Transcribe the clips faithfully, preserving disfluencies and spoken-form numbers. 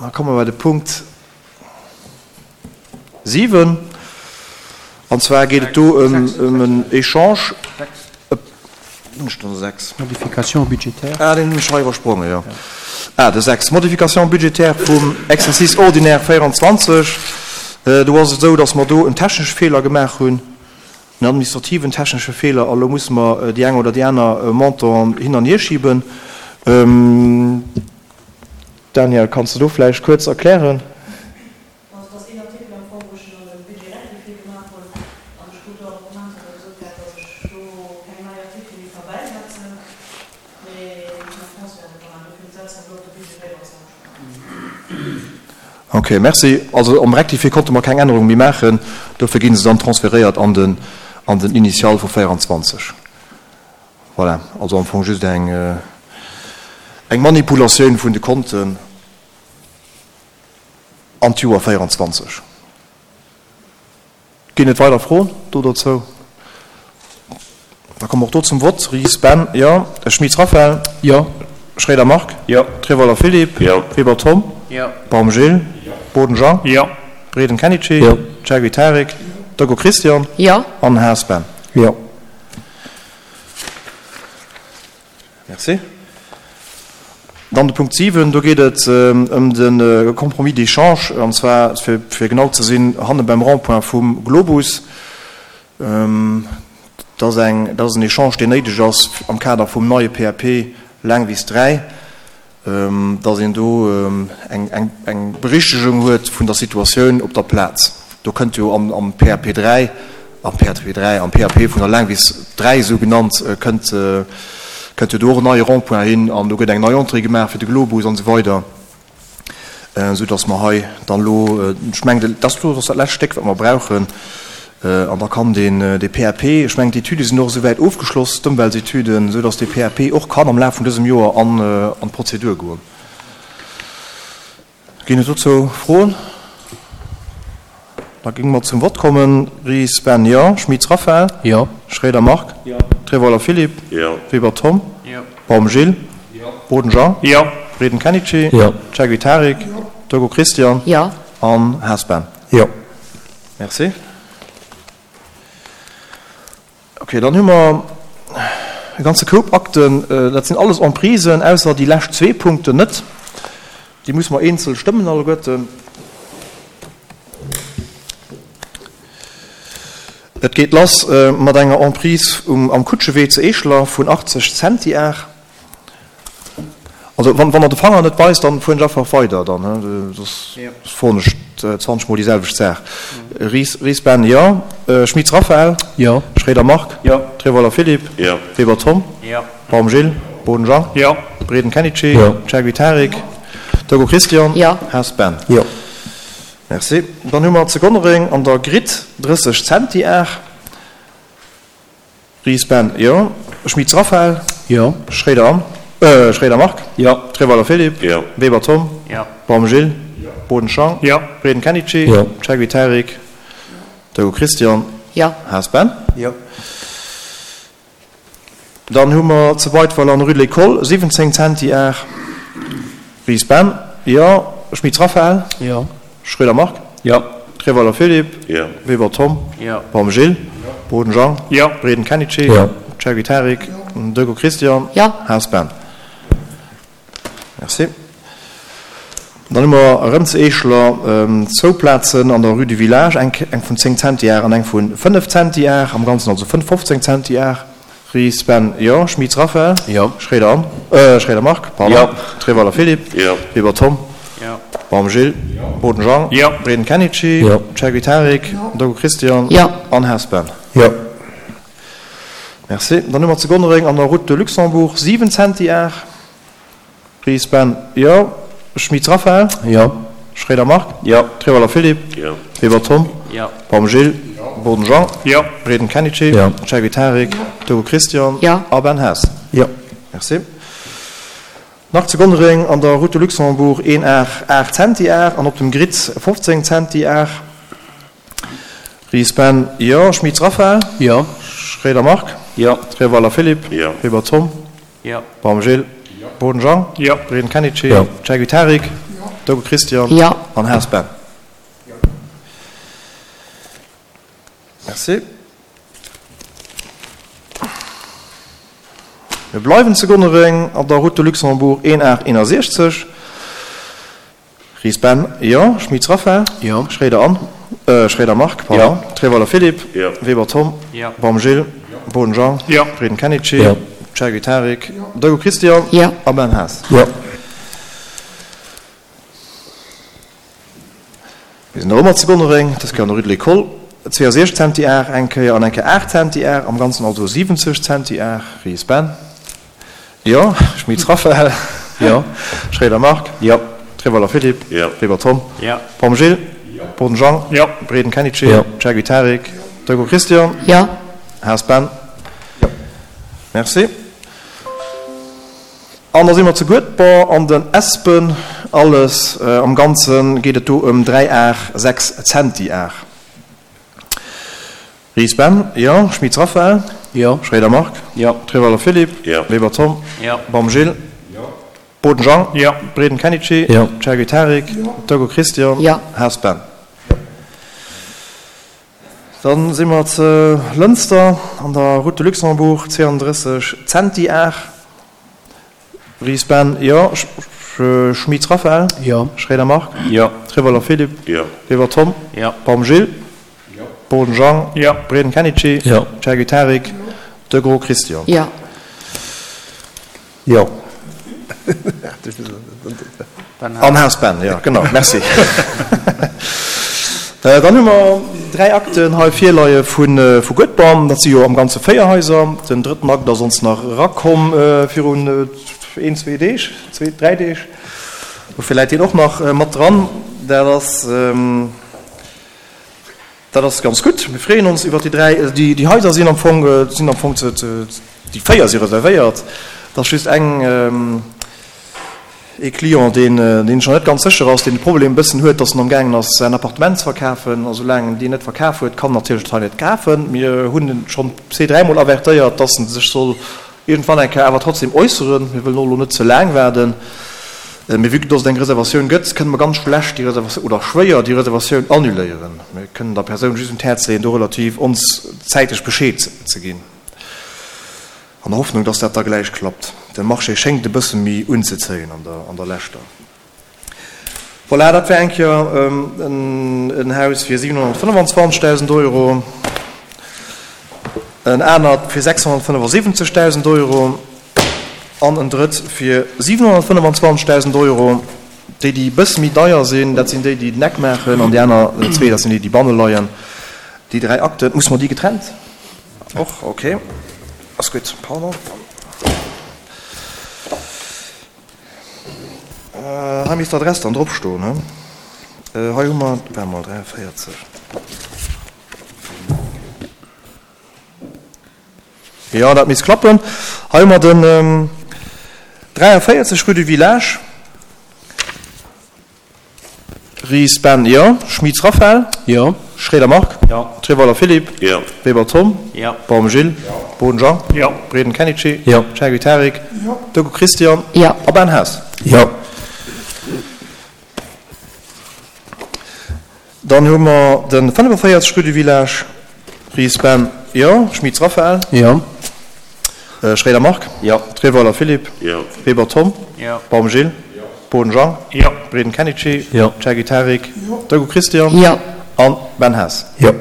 Da komme mer bei de Punkt siwen. An zwar geet et do ëm en Echange. Hunn ech den sechs? Modification budgétaire. Ah, deen hunn ech hei iwwersprongen, jo. Ah, de sechs. Modification budgétaire vum Exercice ordinaire véieranzwanzeg. Do ass et esou, dass mer do en technesche Feeler gemaach hunn, en administrativen technesche Feeler, a lo musse mer déi eng oder déi aner Montanten hin an hierschiben. Daniel, kanns de do vläicht kuerz erklären? Also et ass een Artikel am Fong, wou ech en an de Budget rectifié gemaach hunn, an ech krut do Argumenter, wou gesot gett, datt ech do keng nei Artikele méi ka bäisetzen, mee ech transferte ka maachen. Dofir setzen ech elo op de Budget véierundzwanzeg Ok, merci. Also am Rectifié konnte mer keng Ännerung méi maachen, dofir gi se dann transferéiert an den an den Initial vu véieranzwanzeg. Voilà, also am Fong just eng eng Manipulatioun vun de Konten an d'Joer véieranzwanzeg. Ginn et weider Froen do dozou? Da komme mer och do zum Vott. Ries Ben, Jo. Schmitz Raphaël? Jo. Schroeder Marc? Jo. Treweiler Philippe? Jo. Weber Tom? Jo. Baum Gilles? Jo. Boden Jean? Jo. Breden Kenichi? Jo. Chergui Tarik? Jo. Doggo Christian? Jo. An Haas Ben? Jo. Merci. Dann de Punkt siwen, do geet et ëm de Compromis d'échange, an zwar, fir, fir genau ze sinn, hanne beim Rond-point vum Globus. Dat ass eng, dat ass en Echange, deen néideg ass am Kader vum neie P A P Laangwiss dräi, dass een do eng, eng, eng Berichtegung huet vun der Situatioun op der Plaz. Do kënnt jo am, am P A P dräi, am P A P dräi, am P A P vun der Laangwiss dräi esou genannt, kënnt, kënnt jo do och en neie Rond-point hin an do gëtt eng nei Entrée gemaach fir de Globus an esou weider, esou dass mer hei dann elo, ech mengen, dat ass dat lescht Stéck, wat mer brauchen, an da kann deen, dee P A P, ech mengen, d'Etüde sinn och esouwäit ofgeschloss, d'Ëmweltetüden, esou dass dee P A P och kann am Laf vun dësem Joer an, an d'Prozedur goen. Ginn et dozou Froen? Da géinge mer zum Vott kommen. Ries Ben, jo. Schmitz Raphaël? Jo. Schroeder Marc? Jo. Treweiler Philippe? Jo. Weber Tom? Jo. Baum Gilles? Jo. Boden Jean? Jo. Breden Kenichi? Jo. Chergui Tarik? Jo. Doggo Christian? Jo. An Haas Ben? Jo. Merci. Ok, dann hu mer e ganze Koup Akten. Dat sinn alles Emprisen, ausser déi lescht zwee Punkten net. Déi musse mer eenzel stëmmen alleguerten. Et geet lass mat enger Emprise um, am Kutschewee zu Eescheler vun achtzeg Centiar. Also wann, wann Der de Fanger net weist, dann fueren ech einfach weider dann, he? Soss froen ech zwanzeg Mol déi selwecht Saach. Ries, Ries Ben, jo. Schmitz Raphaël? Jo. Schroeder Marc? Jo. Treweiler Philippe? Jo. Weber Tom? Jo. Baum Gilles? Boden Jean? Jo. Breden Kenichi? Jo. Chergui Tarik? Jo. Doggo Christian? Jo. Haas Ben? Jo. Merci. Dann hu mer zu Gonnereng an der Gritt drësseg Centiar. Ries Ben, jo. Schmitz Raphaël? Jo. Schroeder Anne, äh, Schroeder Marc? Jo. Treweiler Philippe? Jo. Weber Tom? Jo. Baum Gilles? Jo. Boden Jean? Jo. Breden Kenichi? Jo. Chergui Tarik? Jo. Doggo Christian? Jo. Haas Ben? Jo. Dann hu mer zu Beitweiler an der Rue de l'École siwwenzéng Centiar. Ries Ben? Jo. Schmitz Raphaël? Jo. Schroeder Marc? Jo. Treweiler Philippe? Jo. Weber Tom? Jo. Baum Gilles? Jo. Boden Jean? Jo. Breden Kenichi? Jo. Chergui Tarik? Jo. Doggo Christian? Jo. Haas Ben? Merci. Dann hu mer erëm zu Eescheler zwou Plazen an der Rue du Village, eng eng vun zéng Centiar an eng vu fënnef Centiar, am Ganzen also fënnf fofzéng Centiar. Ries Ben, jo. Schmitz Raphaël? Jo. Schroeder Anne, äh, Schroeder Marc, pardon. Jo. Treweiler Philippe? Jo. Weber Tom? Jo. Baum Gilles? Jo. Boden Jean? Jo. Breden Kenichi? Jo. Chergui Tarik? Jo. Doggo Christian? Jo. An Haas Ben? Jo. Merci. Dann hu mer zu Gonnereng an der Route de Luxembourg siwen Centiar. Ries Ben, jo. Schmitz Raphaël? Jo. Schroeder Marc? Jo. Treweiler Philippe? Jo. Weber Tom? Jo. Baum Gilles? Jo. Boden Jean? Jo. Breden Kenichi? Jo. Chergui Tarik? Jo. Doggo Christian? Jo. A Ben Haas? Jo. Merci. Nach zu Gonnereng an der Route de Luxembourg een Ar aacht Centiar an op dem Grit fofzéng Centiar. Ries Ben, jo. Schmitz Raphaël? Jo. Schroeder Marc? Jo. Treweiler Philippe? Jo. Weber Tom? Jo. Baum Gilles? Jo. Boden Jean? Jo. Breden Kenichi? Jo. Chergui Tarik? Jo. Degout Christian. Jo. An Haas Ben. Merci. Mir bleiwen zu Gonnereng an der Route de Luxembourg een aacht eenasechzeg. Ries Ben, jo. Schmitz Raphaël. Jo. Schréider Anne, äh, Schréider Marc, pardon. Jo. Treweiler Philippe. Jo. Weber Tom. Jo. Baum Gilles. Boden Jean. Jo. Breden Kenichi. Jo. Chergui Tarik. Degout Christian. Jo. A Ben Haas. Jo. Mir sinn nach ëmmer zu Gonnereng, dës Kéier an der Rue de l'École. zweeënsechzeg Centiar eng Kéier an eng Kéier aacht Centiar, am Ganzen also siwwenzeg Centiar. Ries Ben. Jo. Schmitz Raphaël. Jo. Schréider Marc. Jo. Treweiler Philippe. Jo. Weber Tom. Jo. Baum Gilles. Boden Jean. Jo. Breden Kenichi. Jo. Chergui Tarik. Degout Christian. Jo. Haas Ben. Jo. Merci. An da si mer zu Guedber an den Espen. Alles am Ganze geet et do ëm dräi Ar sechs Centiar. Ries Ben, jo. Schmitz Raphaël. Jo. Schréider Marc. Jo. Treweiler Philippe. Jo. Weber Tom. Jo. Baum Gilles. Boden Jean. Jo. Breden Kenichi. Jo. Chergui Tarik. Degout Christian. Jo. Haas Ben. Dann si mer zu Lënster an der Route de Luxembourg, zweeëndrësseg Centiar. Ries Ben, jo. Schmitz Raphaël. Jo. Schréider Marc. Jo. Treweiler Philippe. Jo. Weber Tom. Jo. Baum Gilles. Boden Jean. Jo. Breden Kenichi. Jo. Chergui Tarik. Degout Christian. Jo. Jo. An Haas Ben, jo, genau, merci. Dann hu mer dräi Akten hei virleie vu Guedber. Dat si jo am Ganze véier Haiser. Den drëtten Akt ass ons nach erakomm virun een, zwee Deeg, zwee, dräi Deeg. Dofir läit deen och nach mat dran. Dat ass, dat ass ganz gutt. Mir freeën ons iwwert déi dräi. Déi Haiser sinn am Fong, sinn am Fong ze, déi véier si reservéiert. Et ass just eng, ee Client, deen, deen scho net ganz sécher ass, deen de Problem e bëssen huet, dass en amgaangen ass, säin Appartement ze verkafen. A soulaang en deen net verkaf huet, kann en natierlech dat hei net kafen. Mir hunn en schonn zwee, dräimol avertéiert, dass en sech soll iergendwann eng Kéier awer trotzdem äusseren. Mir wëllen och elo net ze laang waarden. Mee vue que dass et eng Reservatioun gëtt, kënne mer ganz schlecht déi Reservatioun oder schwéier déi Reservatioun annuléieren. Mir kënnen der Persoun just un d'Häerz leeën, do relativ ons zäiteg Bescheed ze ginn. An der Hoffnung, dass dat da gläich klappt. De Marché schéngt e bësse méi unzezéien an der, an der leschter. Voilà, dat wär eng Kéier en Haus fir siwenhonnertfënnefenzwanzegdausend Euro, en anert fir sechshonnertfënnefasiwwenzegdausend Euro an en drëtt fir siwenhonnertfënnefenzwanzegdausend Euro. Déi, déi e bësse méi deier sinn, dat sinn déi, déi den Eck maachen, an déi aner zwee, dat sinn déi, déi banne leien. Déi dräi Akten, muss mer déi getrennt? Och, okay. Ass gutt, pardon. Hei misst d'Adress dann drop stoen, he? Hei hu mer, waart mol, dräiavéierzeg. Jo, dat misst klappen. Hei hu mer den dräiavéierzeg Rue du Village. Ries Ben, jo. Schmitz Raphaël. Jo. Schréider Marc. Jo. Treweiler Philippe. Jo. Weber Tom. Jo. Baum Gilles. Boden Jean. Jo. Breden Kenichi. Jo. Chergui Tarik. Jo. Degout Christian. Jo. A Ben Haas. Jo. Dann hu mer de fënnefenvéierzeg Rue du Village. Ries Ben, jo. Schmitz Raphaël. Jo. Schréider Marc. Jo. Treweiler Philippe. Jo. Weber Tom. Jo. Baum Gilles. Jo. Boden Jean. Jo. Breden Kenichi. Jo. Chergui Tarik. Degout Christian. Jo. An Ben Haas. Jo.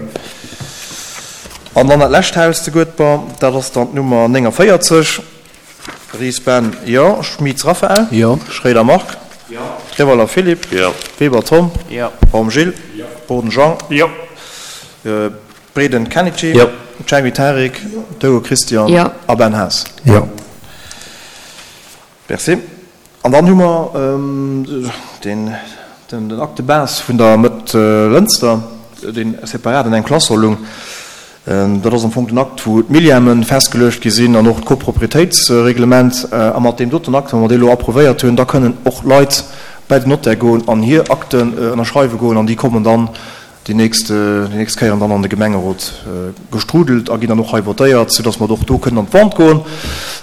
An dann dat lescht Haus zu Guedber, dat ass dann d'Nummer néngavéierzeg. Ries Ben, jo. Schmitz Raphaël. Jo. Schréider Marc. Jo. Treweiler Philippe. Jo. Weber Tom. Jo. Baum Gilles. Jo. Boden Jean. Jo. Breden Kenichi. Jo. Chergui Tarik. Degout Christian. Jo. A Ben Haas. Jo. Merci. An dann hu mer den, den, den Acte de base vun der Mëtt Lënster, deen separat an engem Classeur lung. Dat ass am Fong den Akt, wou d'Millièmen festgeluecht gi sinn an och d'Copropriétéitsreglement. A mat deem doten Akt, wa mer dee elo approuvéiert hunn, da kënnen och Leit bei den Notaire goen an hir Akten ënnerschreiwe goen an déi kommen dann déi nächst, déi nächst Kéieren dann an de Gemengerot gestrudelt a ginn dann och hei votéiert, soudass mer och do kënnen an d'Vente goen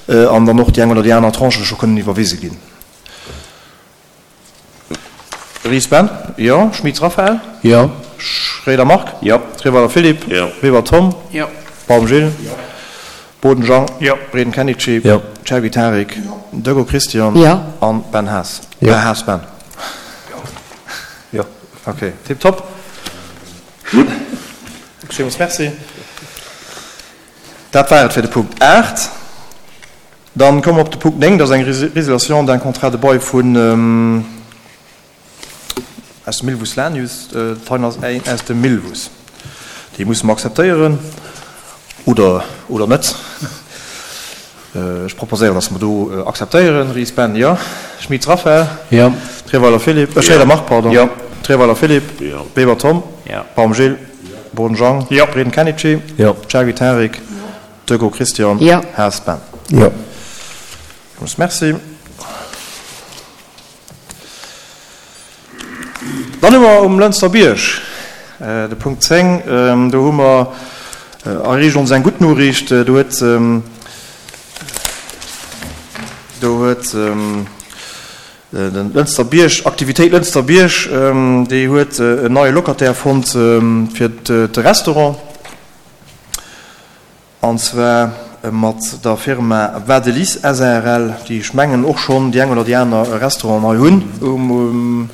an dann och déi eng oder déi aner Tranche scho kënnen iwwerwise ginn. Ries Ben? Jo. Schmitz Raphaël? Jo. Schroeder Marc? Jo. Treweiler Philippe? Jo. Weber Tom? Jo. Baum Gilles? Jo. Boden Jean? Jo. Breden Kenichi? Jo. Chergy Tarik? Jo. Dögo Christian? Jo. An Ben Haas? Jo. Haas Ben? Jo. Ok, tiptop. Villmools Merci. Dat war et fir de Punkt aacht. Dann komme mer op de Punkt néng, dat ass eng Résiliation d'un contrat de bail vun, aus dem Milvus Lanius, d'Hein ass een aus dem Milvus. Déi musse mer akzeptéieren oder, oder net. Ech proposéieren, dass mer do akzeptéieren. Ries Ben, jo. Schmitz Raphaël? Jo. Treweiler Philippe, äh, Schroeder Marc, pardon. Jo. Treweiler Philippe? Jo. Weber Tom? Jo. Baum Gilles? Jo. Boden Jean? Jo. Breden Kenichi? Jo. Chergy Tarik? Jo. Dögo Christian? Jo. Haas Ben? Jo. Villmools Merci. Dann hu mer um Lënster Bierg de Punkt zéng. Do hu mer, erreecht ons eng gutt Noriicht. Do huet, do huet de Lënster Bierg, Aktivitéit Lënster Bierg, déi huet en neie Locataire fonnt fir de Restaurant. An zwar mat der Firma Wadelis S A R L, déi ech mengen och schonn déi eng oder déi aner Restauranten hei hunn um,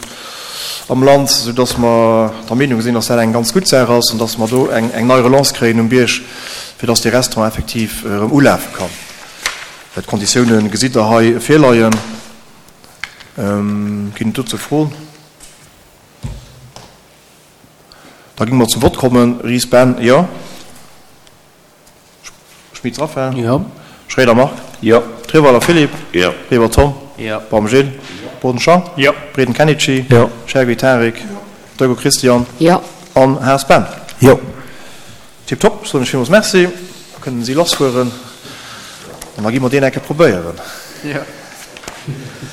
am Land, soudass mer der Meenung sinn, dass dat eng ganz gutt Saach ass an dass mer do eng, eng nei Relance kréien um Bierg, fir dass dee Restaurant effektiv erëm ulafe kann. D'Konditiounen gesitt Der hei virleien. Ginn et dozou Froen? Da géinge mer zum Vott kommen. Ries Ben, jo. Schmitz Raphaël? Jo. Schroeder Marc? Jo. Treweiler Philippe? Jo. Weber Tom? Jo. Baum Gilles? Jo. Boden Jean? Jo. Breden Kenichi? Jo. Chergy Tarik? Jo. Dögo Christian? Jo. An Haas Ben? Jo. Tiptop, soen ech villmools Merci. Da kënnen si lassfueren an da gi mer deen eng Kéier probéieren. Jo.